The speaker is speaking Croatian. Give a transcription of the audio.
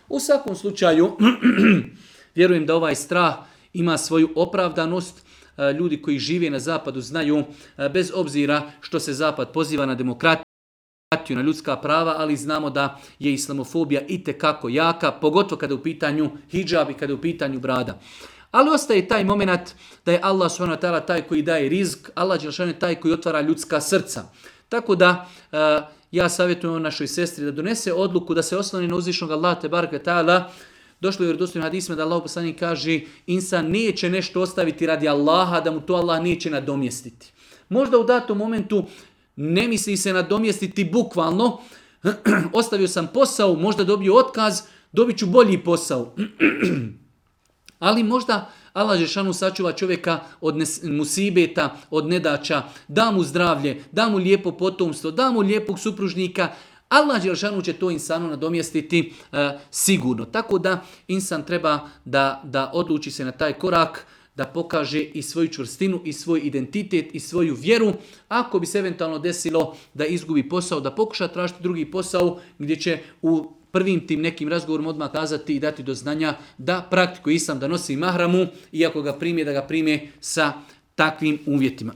U svakom slučaju, vjerujem da ovaj strah ima svoju opravdanost. Ljudi koji žive na zapadu znaju, bez obzira što se zapad poziva na demokratiju, na ljudska prava, ali znamo da je islamofobija itekako jaka, pogotovo kada je u pitanju hidžab i kada je u pitanju brada. Ali ostaje taj moment da je Allah subhanahu wa ta'ala taj koji daje rizk, Allah dželešanu je taj koji otvara ljudska srca. Tako da ja savjetujem našoj sestri da donese odluku da se osloni na uzvišnog Allaha te bareke ta'ala. Došlo je u vjerodostojnim hadisima da Allahov poslanik kaže insan neće nešto ostaviti radi Allaha, da mu to Allah neće nadomjestiti. Možda u datom momentu ne misli se nadomjestiti bukvalno, ostavio sam posao, možda dobio otkaz, dobit ću bolji posao. Ali možda Allah dželešanu sačuva čovjeka od musibeta, od nedaća, da mu zdravlje, da mu lijepo potomstvo, da mu lijepog supružnika. Allah dželešanu će to insanu nadomjestiti sigurno. Tako da insan treba da odluči se na taj korak, da pokaže i svoju čvrstinu, i svoj identitet, i svoju vjeru. Ako bi se eventualno desilo da izgubi posao, da pokuša tražiti drugi posao gdje će u prvim tim nekim razgovorima odmah kazati i dati do znanja da praktikuje islam, da nosi mahramu i ako ga prime, da ga prime sa takvim uvjetima.